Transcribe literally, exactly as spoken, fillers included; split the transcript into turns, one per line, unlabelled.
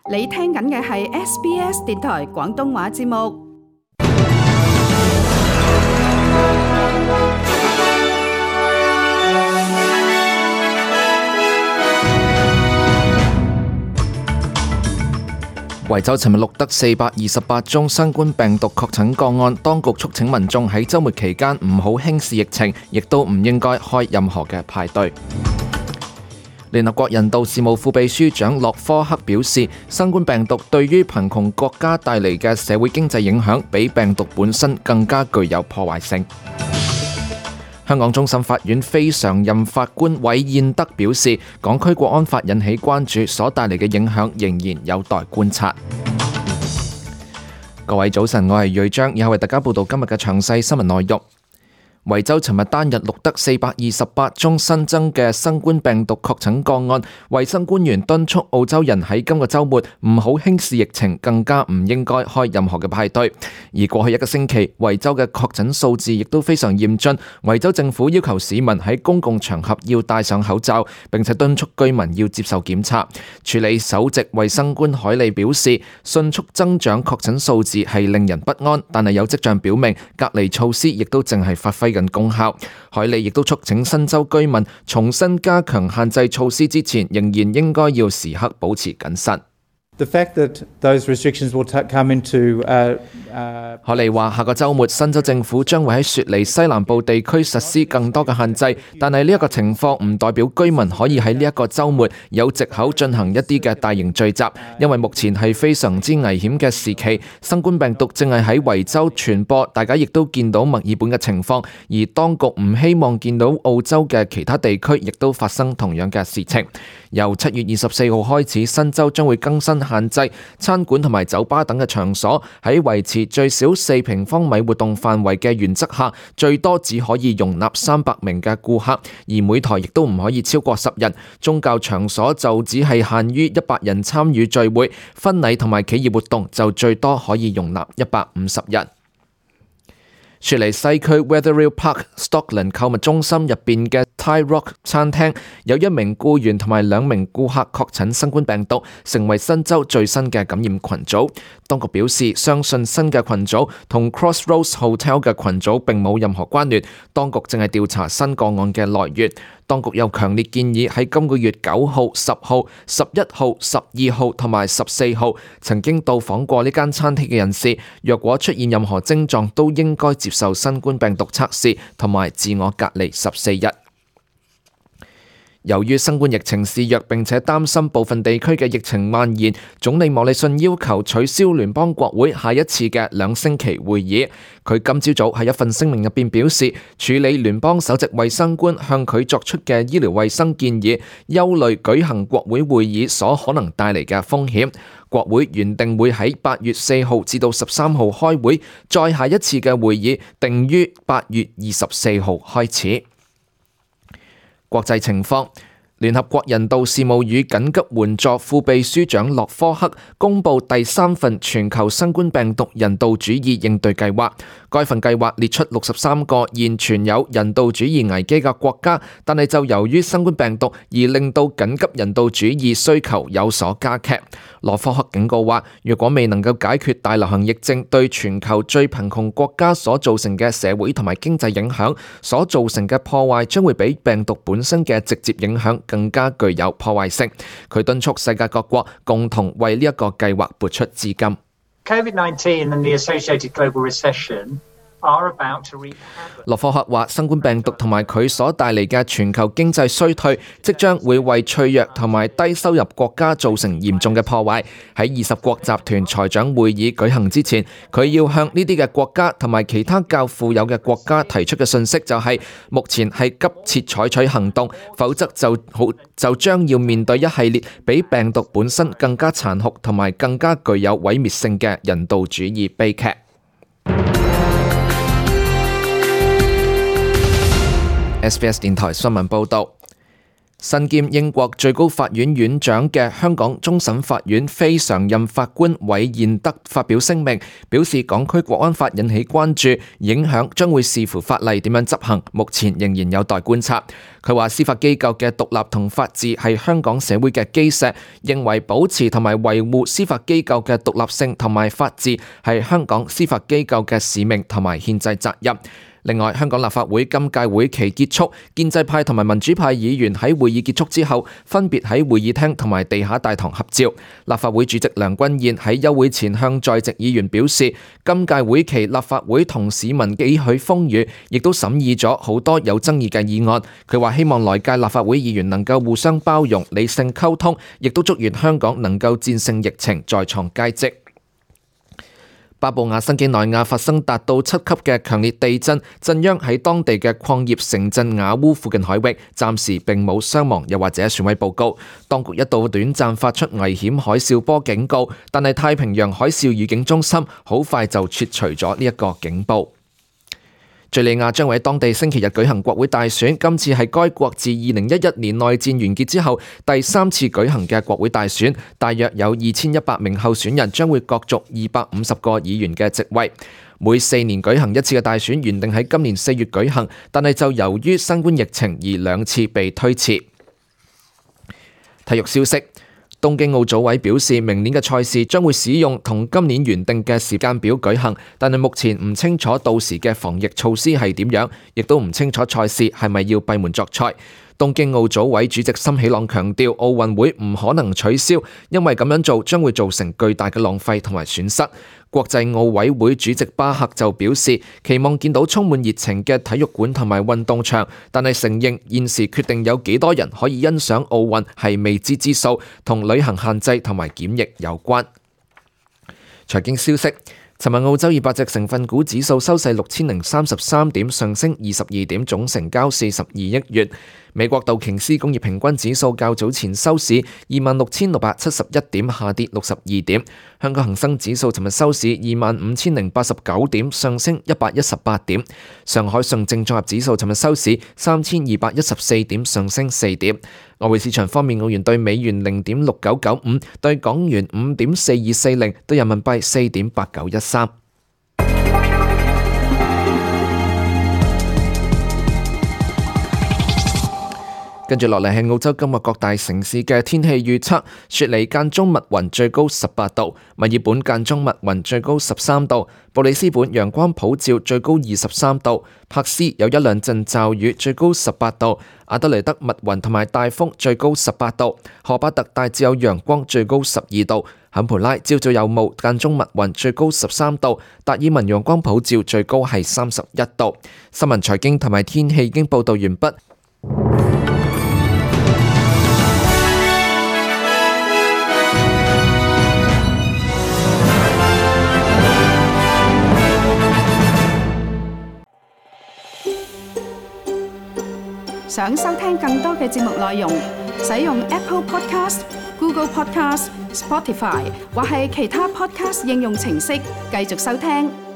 你聽緊嘅係 S B S 電台廣東話節目。
維州尋日錄得四百二十八宗新冠病毒確診個案，當局促請民眾喺週末期間唔好輕視疫情，亦都唔應該開任何嘅派對。聯合國人道事務副秘書長洛科克表示，新冠病毒對於貧窮國家帶嚟嘅社會經濟影響，比病毒本身更加具有破壞性。香港終審法院非常任法官韋彥德表示，港區國安法引起關注，所帶嚟嘅影響仍然有待觀察。各位早晨，我係瑞章，以下為大家報道今日嘅詳細新聞內容。維州尋日單日錄得四百二十八宗新增嘅新冠病毒確診個案，衛生官員敦促澳洲人喺今個週末唔好輕視疫情，更加唔應該開任何嘅派對。而過去一個星期，維州嘅確診數字亦都非常嚴峻，維州政府要求市民喺公共場合要戴上口罩，並且敦促居民要接受檢測。處理首席衛生官海利表示，迅速增長確診數字係令人不安，但係有跡象表明隔離措施亦都正係發揮緊功效。海利亦都促請新州居民重新加強限制措施之前，仍然應該要時刻保持謹慎。
The fact that those restrictions will come into, uh, uh,
海利話：下個週末，新州政府將會喺雪梨西南部地區實施更多嘅限制，但係呢一個情況唔代表居民可以喺呢一個週末有藉口進行一啲嘅大型聚集，因為目前係非常之危險嘅時期，新冠病毒正係喺維州傳播，大家亦都見到墨爾本嘅情況，而當局唔希望見到澳洲嘅其他地區亦都發生同樣嘅事情。由七月二十四號開始，新州將會更新限制餐館同埋酒吧等嘅場所喺維持最少四平方米活動範圍嘅原則下，最多只可以容納三百名嘅顧客，而每台亦都唔可以超過十人。宗教場所就只係限於一百人參與聚會，婚禮同埋企業活動就最多可以容納一百五十人。雪梨西區 Wetherill Park Stockland 購物中心入邊嘅 Thai Rock 餐廳有一名僱員同埋兩名顧客確診新冠病毒，成為新州最新嘅感染群組。當局表示，相信新嘅群組同 Crossroads Hotel 嘅群組並冇任何關聯，當局正係調查新個案嘅來源。當局又強烈建議喺今個月九號、十號、十一號、十二號同埋十四號曾經到訪過呢間餐廳嘅人士，若果出現任何症狀，都應該接受新冠病毒測試同埋自我隔離十四日。由於新冠疫情肆虐，並且擔心部分地區嘅疫情蔓延，總理莫里遜要求取消聯邦國會下一次嘅兩星期會議。佢今朝早喺一份聲明入邊表示，處理聯邦首席衛生官向佢作出嘅醫療衛生建議，憂慮舉行國會會議所可能帶嚟嘅風險。國會原定會喺八月四號至到十三號開會，再下一次嘅會議定於八月二十四號開始。國際情況，聯合國人道事務與緊急援助副秘書長洛科克公布第三份全球新冠病毒人道主義應對計劃。該份計劃列出六十三個現存有人道主義危機嘅國家，但係就由於新冠病毒而令到緊急人道主義需求有所加劇。洛科克警告話，如果未能夠解決大流行疫症對全球最貧窮國家所造成嘅社會同埋經濟影響，所造成嘅破壞將會比病毒本身嘅直接影響更加具有破壞性。佢敦促世界各國共同為呢一個計劃撥出資金。
COVID nineteen and the associated global recession are about to wreak havoc.
洛科克話，新冠病毒同埋佢所帶嚟嘅全球經濟衰退，即將會為脆弱同埋低收入國家造成嚴重嘅破壞。喺二十國集團財長會議舉行之前，佢要向呢啲嘅國家同埋其他較富有嘅國家提出嘅信息就係，目前係急切採取行動，否則就好就將要面對一系列比病毒本身更加殘酷同埋更加具有毀滅性嘅人道主義悲劇。S B S 電台新聞報導，身兼英國最高法院院長嘅香港終審法院非常任法官韋彥德發表聲明，表示港區國安法引起關注，影響將會視乎法例點樣執行，目前仍然有待觀察。佢話司法機構嘅獨立同法治係香港社會嘅基石，認為保持同埋維護司法機構嘅獨立性同埋法治係香港司法機構嘅使命同埋憲制責任。另外，香港立法會今屆會期結束，建制派同埋民主派議員喺會議結束之後，分別喺會議廳同埋地下大堂合照。立法會主席梁君彥喺休會前向在席議員表示，今屆會期立法會同市民幾許風雨，亦都審議咗好多有爭議嘅議案。佢話希望來屆立法會議員能夠互相包容、理性溝通，亦都祝願香港能夠戰勝疫情，再創佳績。巴布亞新幾內亞發生達到七級嘅強烈地震，震央喺當地嘅礦業城鎮雅烏附近海域，暫時並冇傷亡又或者損毀報告。當局一度短暫發出危險海嘯波警告，但係太平洋海嘯預警中心好快就撤除咗呢一個警報。敘利亞將會喺當地星期日舉行國會大選，今次係該國自二零一一年內戰完結之後第三次舉行嘅國會大選，大約有二千一百名候選人將會角逐二百五十個議員嘅席位。每四年舉行一次嘅大選原定喺今年四月舉行，但係就由於新冠疫情而兩次被推遲。體育消息。東京奧組委表示，明年嘅賽事將會使用同今年原定嘅時間表舉行，但係目前唔清楚到時嘅防疫措施係點樣，亦都唔清楚賽事係咪要閉門作賽。東京奧組委主席森喜朗強調，奧運會唔可能取消，因為咁樣做將會造成巨大嘅浪費同埋損失。國際奧委會主席巴赫就表示，期望見到充滿熱情嘅體育館同埋運動場，但係承認現時決定有幾多人可以欣賞奧運係未知之數，同旅行限制同埋檢疫有關。財經消息。尋日澳洲二百隻成分股指數收市六千零三十三點，上升二十二點，總成交四十二億元。美國道瓊斯工業平均指數較早前收市二萬六千六百七十一點，下跌六十二點。香港恒生指數尋日收市二萬五千零八十九點，上升一百一十八點。上海上證綜合指數尋日收市三千二百一十四點，上升四點。外匯市場方面，澳元對美元零點六九九五，對港元五點四二四零，對人民幣四點八九一三。跟住落嚟係澳洲今日各大城市嘅天氣預測：雪梨間中密雲，最高十八度；墨爾本間中密雲，最高十三度；布里斯本陽光普照，最高二十三度；柏斯有一兩陣驟雨，最高十八度；阿德雷德密雲同埋大風，最高十八度；荷巴特大致有陽光，最高十二度；坎培拉朝早有霧，間中密雲，最高十三度；達爾文陽光普照，最高係三十一度。新聞財經同埋天氣已經報道完畢。
想收聽更多嘅節目內容，使用 Apple Podcast、Google Podcast、Spotify 或係其他 Podcast 應用程式繼續收聽。